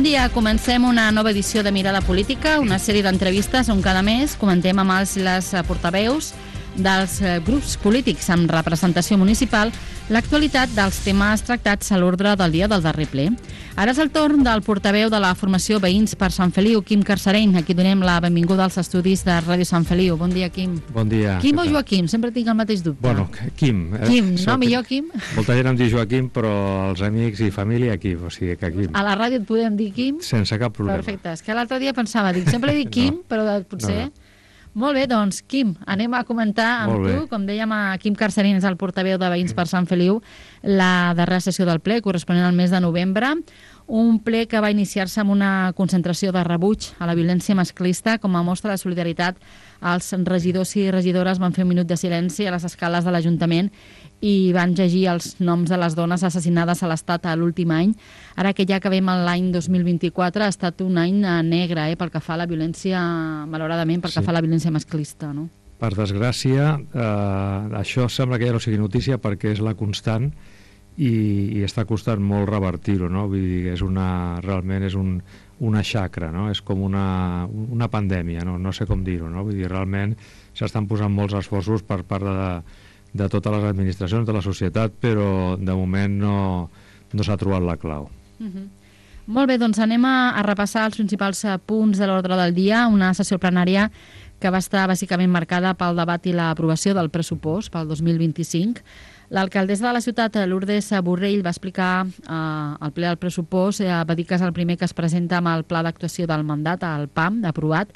dia, comencem una nova edició de Mirada Política, una sèrie d'entrevistes on cada mes comentem amb els i les portaveus dels grups polítics amb representació municipal l'actualitat dels temes tractats a l'ordre del dia del darrer ple. Ara és el torn del portaveu de la formació Veïns per Sant Feliu, Quim Carcereny. Aquí donem la benvinguda als estudis de Ràdio Sant Feliu. Bon dia, Quim. Bon dia. Quim o Joaquim? Sempre tinc el mateix dubte. Bueno, Quim. Quim, no? Millor Quim? Molta gent em diu Joaquim, però els amics i família Quim, o sigui que Quim. A la ràdio et podem dir Quim? Sense cap problema. Perfecte. És que l'altre dia pensava, sempre dic Quim, però potser... No. Molt bé, doncs, Quim, anem a comentar amb tu. Com dèiem, Quim Carcereny és el portaveu de Veïns per Sant Feliu, la darrera sessió del ple, corresponent al mes de novembre. Un ple que va iniciar-se amb una concentració de rebuig a la violència masclista. Com a mostra de solidaritat, els regidors i regidores van fer un minut de silenci a les escales de l'Ajuntament i van llegir els noms de les dones assassinades a l'Estat a l'últim any. Ara que ja acabem l'any 2024, ha estat un any negre pel que fa a la violència, malauradament, pel que fa a la violència masclista, no? Per desgràcia, això sembla que ja no sigui notícia perquè és la constant i està costant molt revertir-ho, no? Vull dir, realment és una xacra, no? És com una pandèmia, no sé com dir-ho, no? Vull dir, realment s'estan posant molts esforços per part de totes les administracions, de la societat, però de moment no s'ha trobat la clau. Molt bé, doncs anem a repassar els principals punts de l'ordre del dia, una sessió plenària que va estar bàsicament marcada pel debat i l'aprovació del pressupost pel 2025. L'alcaldessa de la ciutat, Lourdes Borrell, va explicar al ple del pressupost, va dir que és el primer que es presenta amb el pla d'actuació del mandat, el PAM, aprovat,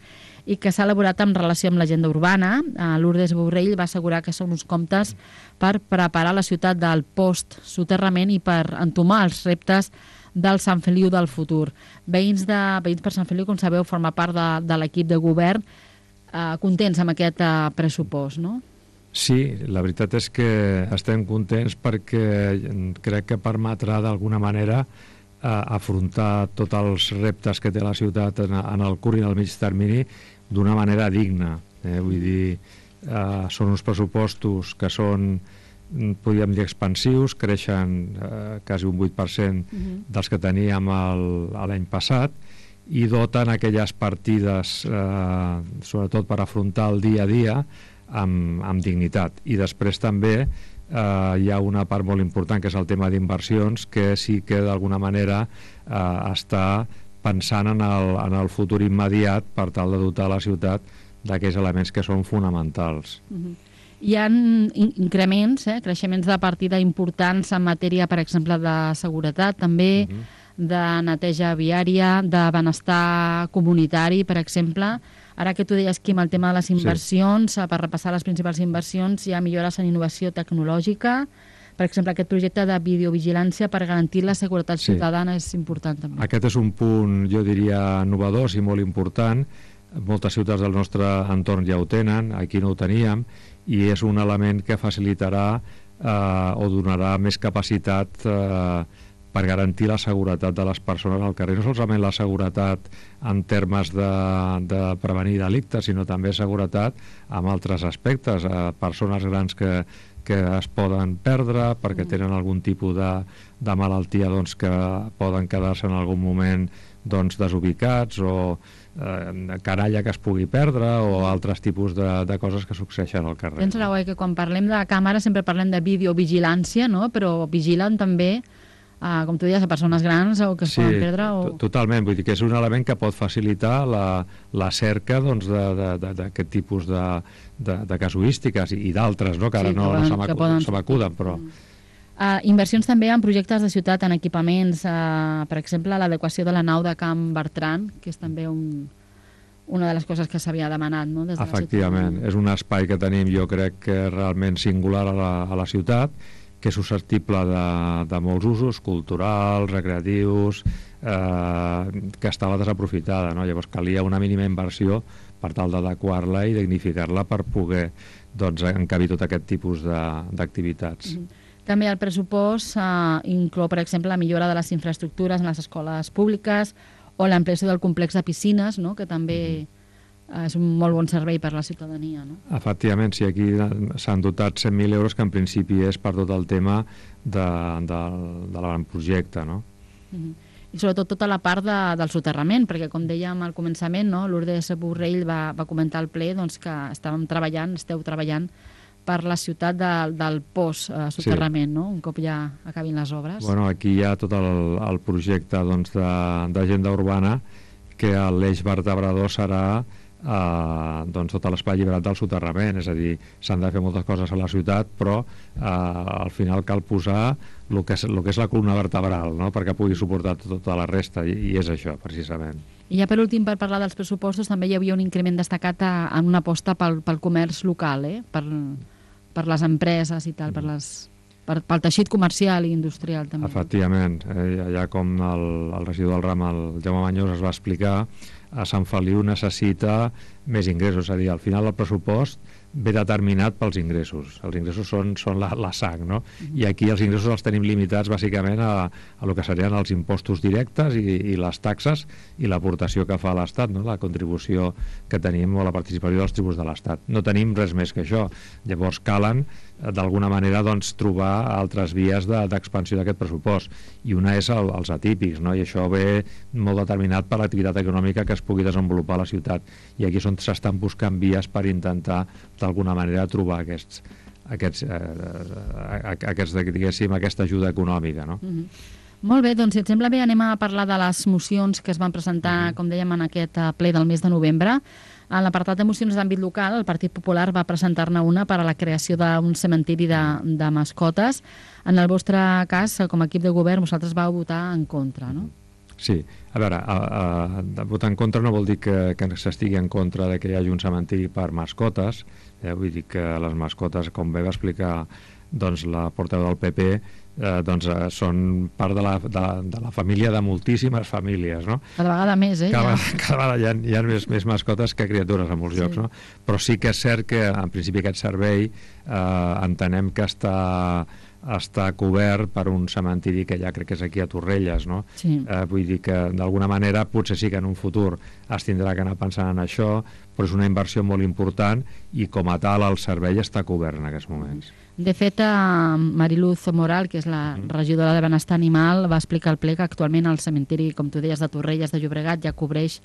i que s'ha elaborat en relació amb l'agenda urbana. Lourdes Borrell va assegurar que són uns comptes per preparar la ciutat del post-soterrament i per entomar els reptes del Sant Feliu del futur. Veïns per Sant Feliu, com sabeu, forma part de l'equip de govern, contents amb aquest pressupost, no? Sí, la veritat és que estem contents perquè crec que permetrà d'alguna manera afrontar tots els reptes que té la ciutat en el curt i en el mig termini d'una manera digna. Vull dir, són uns pressupostos que són, podríem dir, expansius, creixen quasi un 8% dels que teníem l'any passat i doten aquelles partides, sobretot per afrontar el dia a dia, amb dignitat. I després també hi ha una part molt important que és el tema d'inversions, que sí que d'alguna manera està pensant en el futur immediat per tal de dotar la ciutat d'aquells elements que són fonamentals. Hi ha increments, creixements de partida importants en matèria, per exemple, de seguretat, també de neteja viària, de benestar comunitari, per exemple. Ara que tu deies, Quim, el tema de les inversions, per repassar les principals inversions, hi ha millores en innovació tecnològica. Per exemple, aquest projecte de videovigilància per garantir la seguretat ciutadana és important també. Aquest és un punt, jo diria, innovador i molt important. Moltes ciutats del nostre entorn ja ho tenen, aquí no ho teníem, i és un element que facilitarà o donarà més capacitat per garantir la seguretat de les persones al carrer. No solament la seguretat en termes de prevenir delictes, sinó també seguretat en altres aspectes. Persones grans que es poden perdre perquè tenen algun tipus de malaltia que poden quedar-se en algun moment desubicats, o canalla que es pugui perdre, o altres tipus de coses que succeeixen al carrer. Tens raó, que quan parlem de càmera sempre parlem de videovigilància, no? Però vigilen també com tu deies, a persones grans o que es poden perdre. Totalment, vull dir que és un element que pot facilitar la cerca d'aquest tipus de casuístiques i d'altres, que ara no se m'acuden, però... Inversions també en projectes de ciutat, en equipaments, per exemple, l'adequació de la nau de Can Bertran, que és també una de les coses que s'havia demanat, no? Efectivament, és un espai que tenim, jo crec que realment singular a la ciutat, que és susceptible de molts usos, culturals, recreatius, que estava desaprofitada, no? Llavors calia una mínima inversió per tal d'adequar-la i dignificar-la per poder encabir tot aquest tipus d'activitats. També el pressupost inclou, per exemple, la millora de les infraestructures en les escoles públiques o l'ampliació del complex de piscines, no? Que també és un molt bon servei per la ciutadania, no? Efectivament, sí, aquí s'han dotat 100.000 euros, que en principi és per tot el tema de l'avantprojecte, no? i sobretot tota la part del soterrament, perquè com dèiem al començament, no, Lourdes Borrell va comentar al ple doncs, que esteu treballant per la ciutat del post-soterrament, no? Un cop ja acabin les obres. Bueno, aquí hi ha tot el projecte d'agenda urbana, que l'eix vertebrador serà tot l'espai alliberat del soterrament, és a dir, s'han de fer moltes coses a la ciutat, però al final cal posar el que és la columna vertebral, no? Perquè pugui suportar tota la resta, i és això, precisament. I ja per últim, per parlar dels pressupostos, també hi havia un increment destacat en una aposta pel comerç local, per les empreses i tal, pel teixit comercial i industrial també. Efectivament, ja com el regidor del RAM, el Jaume Mañós, es va explicar, a Sant Feliu necessita més ingressos, és a dir, al final el pressupost ve determinat pels ingressos. Els ingressos són la sang, no? I aquí els ingressos els tenim limitats bàsicament a el que serien els impostos directes i les taxes i l'aportació que fa l'Estat, no? La contribució que tenim o la participació dels tributs de l'Estat. No tenim res més que això. Llavors calen d'alguna manera trobar altres vies d'expansió d'aquest pressupost, i una és els atípics, no? I això ve molt determinat per l'activitat econòmica que es pugui desenvolupar a la ciutat, i aquí és on s'estan buscant vies per intentar d'alguna manera trobar diguéssim, aquesta ajuda econòmica, no? Molt bé, doncs si et sembla bé anem a parlar de les mocions que es van presentar, com dèiem, en aquest ple del mes de novembre. En l'apartat de mocions d'àmbit local, el Partit Popular va presentar-ne una per a la creació d'un cementiri de mascotes. En el vostre cas, com a equip de govern, vosaltres vau votar en contra, no? Sí, a veure, votar en contra no vol dir que s'estigui en contra de que hi hagi un cementiri per mascotes, vull dir que les mascotes, com bé va explicar la portaveu del PP, són part de la família de moltíssimes famílies, no? Cada vegada més, Cada vegada hi ha més mascotes que criatures a molts llocs, no? Però sí que és cert que, en principi, aquest servei entenem que està cobert per un cementiri que ja crec que és aquí a Torrelles, no? Sí. Vull dir que d'alguna manera potser sí que en un futur es tindrà que anar pensant en això, però és una inversió molt important i com a tal el servei està cobert en aquests moments. De fet, Mariluz Moral, que és la regidora de Benestar Animal, va explicar al ple que actualment el cementiri, com tu deies, de Torrelles de Llobregat ja cobreix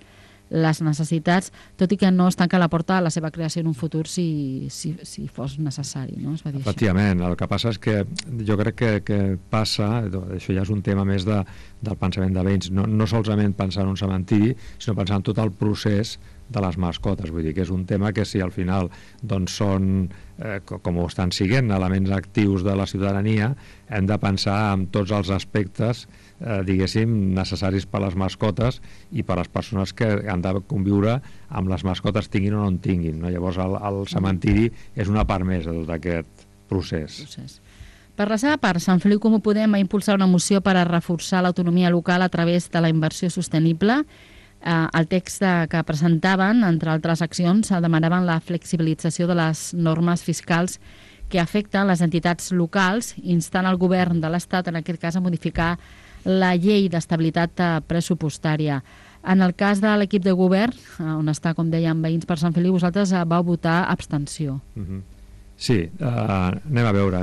les necessitats, tot i que no es tanca la porta a la seva creació en un futur si fos necessari, no? Es va dir Efectivament, el que passa és que jo crec que passa, això ja és un tema més del pensament de veïns, no solament pensar en un cementiri, sinó pensar en tot el procés de les mascotes, vull dir que és un tema que si al final són, com ho estan siguent, elements actius de la ciutadania, hem de pensar en tots els aspectes diguéssim, necessaris per a les mascotes i per a les persones que han de conviure amb les mascotes, tinguin o no en tinguin, no? Llavors el cementiri és una part més de tot aquest procés. Per la seva part, Sant Feliu Comú Podem va impulsar una moció per a reforçar l'autonomia local a través de la inversió sostenible. El text que presentaven, entre altres accions, demanaven la flexibilització de les normes fiscals que afecten les entitats locals, instant el govern de l'Estat, en aquest cas, a modificar la llei d'estabilitat pressupostària. En el cas de l'equip de govern, on està, com dèiem, Veïns per Sant Feliu, vosaltres vau votar abstenció. Sí, anem a veure.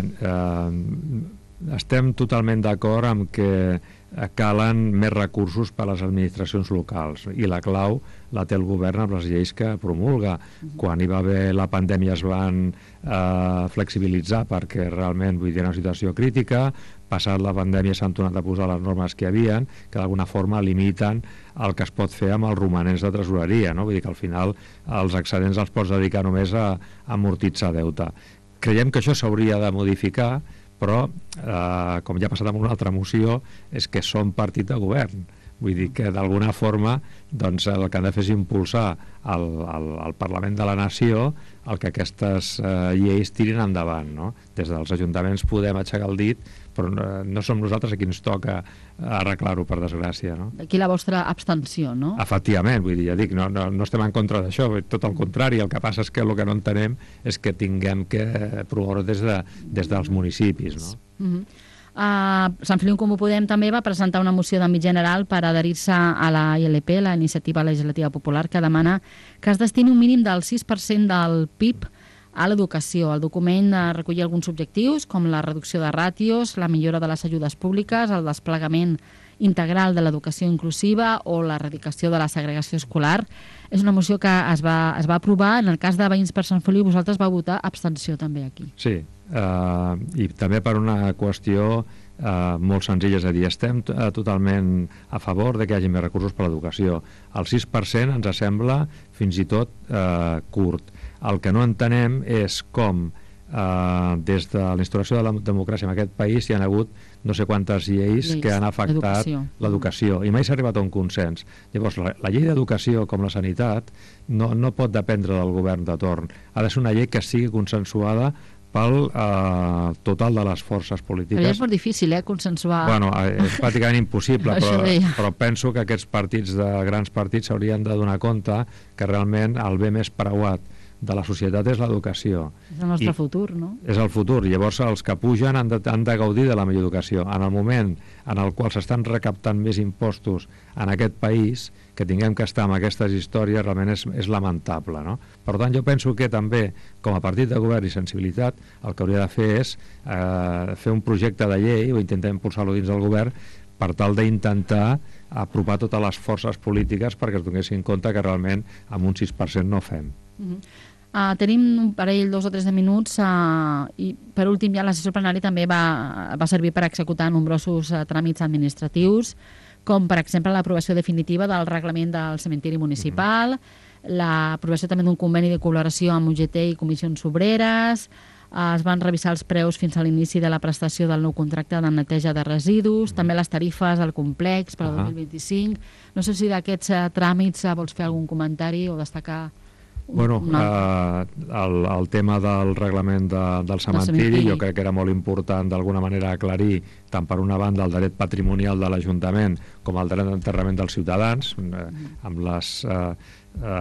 Estem totalment d'acord amb que calen més recursos per a les administracions locals i la clau la té el govern amb les lleis que promulga. Quan hi va haver la pandèmia es van flexibilitzar perquè realment vull dir una situació crítica, passat la pandèmia s'han tornat a posar les normes que hi havien, que d'alguna forma limiten el que es pot fer amb els romanents de tresoreria, no? Vull dir que al final els excedents els pots dedicar només a amortitzar deute. Creiem que això s'hauria de modificar, però, com ja ha passat amb una altra moció, és que som partit de govern. Vull dir que d'alguna forma doncs, el que han de fer és impulsar al Parlament de la Nació el que aquestes lleis tirin endavant, no? Des dels ajuntaments podem aixecar el dit, però no som nosaltres a qui ens toca arreglar-ho, per desgràcia, no? Aquí la vostra abstenció, no? Efectivament, vull dir, ja dic, no estem en contra d'això, tot el contrari, el que passa és que el que no entenem és que tinguem que promoure des dels municipis, no? Sant Feliu Comú Podem també va presentar una moció d'àmbit general per adherir-se a la ILP, la Iniciativa Legislativa Popular, que demana que es destini un mínim del 6% del PIB a l'educació. El document recollia alguns objectius, com la reducció de ràtios, la millora de les ajudes públiques, el desplegament integral de l'educació inclusiva o l'erradicació de la segregació escolar. És una moció que es va aprovar. En el cas de Veïns per Sant Feliu, vosaltres vau votar abstenció també aquí. Sí, i també per una qüestió molt senzilla, és a dir, estem totalment a favor de que hi hagi més recursos per a l'educació. El 6% ens sembla fins i tot curt. El que no entenem és com des de la instauració de la democràcia en aquest país hi ha hagut no sé quantes lleis que han afectat l'educació i mai s'ha arribat a un consens. Llavors, la llei d'educació, com la sanitat, no pot dependre del govern de torn. Ha de ser una llei que sigui consensuada pel total de les forces polítiques. Però és molt difícil, consensuar. Bueno, és pràcticament impossible, però penso que aquests partits, grans partits, s'haurien de donar compte que realment el bé més preuat de la societat és l'educació. És el nostre futur, no? És el futur. Llavors, els que pugen han de gaudir de la millor educació. En el moment en el qual s'estan recaptant més impostos en aquest país, que tinguem que estar amb aquestes històries, realment és lamentable, no? Per tant, jo penso que també, com a partit de govern i sensibilitat, el que hauria de fer és fer un projecte de llei, o intentar impulsar-lo dins del govern, per tal d'intentar apropar totes les forces polítiques perquè es donessin compte que realment amb un 6% no fem. Tenim un parell, 2 o 3 de minuts i per últim ja la sessió plenària també va servir per executar nombrosos tràmits administratius, com per exemple l'aprovació definitiva del reglament del cementiri municipal, l'aprovació també d'un conveni de col·laboració amb UGT i comissions obreres, es van revisar els preus fins a l'inici de la prestació del nou contracte de neteja de residus, també les tarifes al complex per al 2025. No sé si d'aquests tràmits vols fer algun comentari o destacar. Bueno, el tema del reglament del cementiri jo crec que era molt important d'alguna manera aclarir tant per una banda el dret patrimonial de l'Ajuntament com el dret d'enterrament dels ciutadans, amb les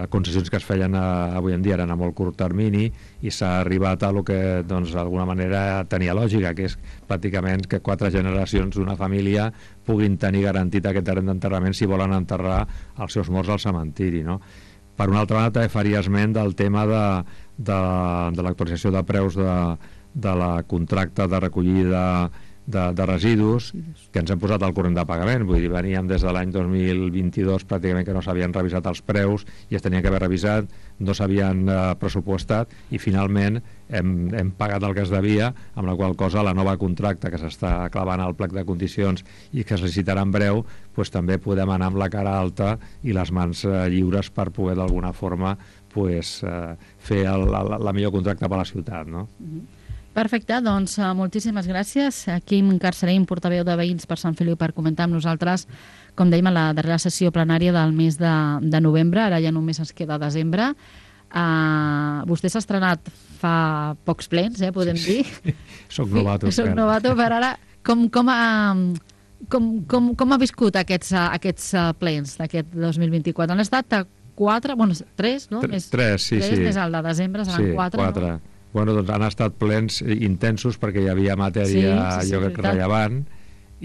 concessions que es feien avui en dia eren a molt curt termini i s'ha arribat a lo que d'alguna manera tenia lògica, que és pràcticament que 4 generacions d'una família puguin tenir garantit aquest dret d'enterrament si volen enterrar els seus morts al cementiri, no? Per una altra banda, també faria esment del tema de l'actualització de preus de la contracte de recollida de residus, que ens hem posat al corrent de pagament. Vull dir, veníem des de l'any 2022 pràcticament que no s'havien revisat els preus i es tenien que haver revisat, no s'havien pressupostat i finalment hem pagat el que es devia, amb la qual cosa la nova contracte que s'està clavant al plec de condicions i que es licitarà en breu, doncs també podem anar amb la cara alta i les mans lliures per poder d'alguna forma fer la millor contracte per a la ciutat, no? Perfecte, doncs moltíssimes gràcies. Quim Carcerim, portaveu de Veïns per Sant Feliu, per comentar amb nosaltres, com dèiem, a la darrera sessió plenària del mes de novembre, ara ja només ens queda desembre. Vostè s'ha estrenat fa pocs plens, podem dir. Soc novato. Soc novato, però ara com ha viscut aquests plens d'aquest 2024? Han estat 4, bueno, 3, no? 3, sí. Més el de desembre, seran 4. No? Bueno, doncs han estat plens intensos perquè hi havia matèria, jo crec, rellevant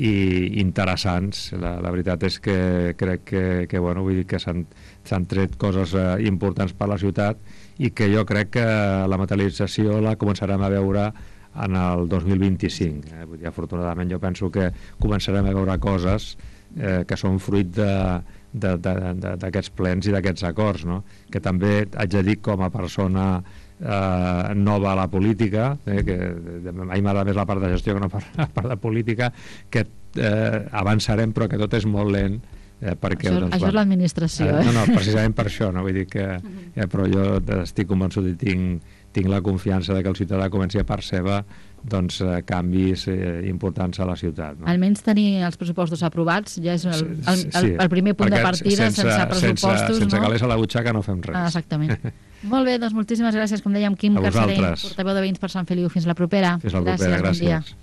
i interessants. La veritat és que crec que vull dir que s'han tret coses importants per la ciutat i que jo crec que la materialització la començarem a veure en el 2025. Vull dir, afortunadament jo penso que començarem a veure coses que són fruit d'aquests plens i d'aquests acords, no? Que també haig de dir, com a persona nova a la política, que a mi m'agrada més la part de gestió que no la part de política, que avançarem però que tot és molt lent perquè, això és l'administració, no, precisament per això, no? Vull dir que però jo estic convençut i tinc la confiança de que el ciutadà comenci a percebre canvis importants a la ciutat, no? Almenys tenir els pressupostos aprovats ja és el primer punt de partida. Sense pressupostos, sense calés a la butxaca no fem res. Exactament. Molt bé, doncs moltíssimes gràcies, com dèiem, Quim Carcerim, portaveu de Veïns per Sant Feliu. Fins la propera. Fins la propera, gràcies.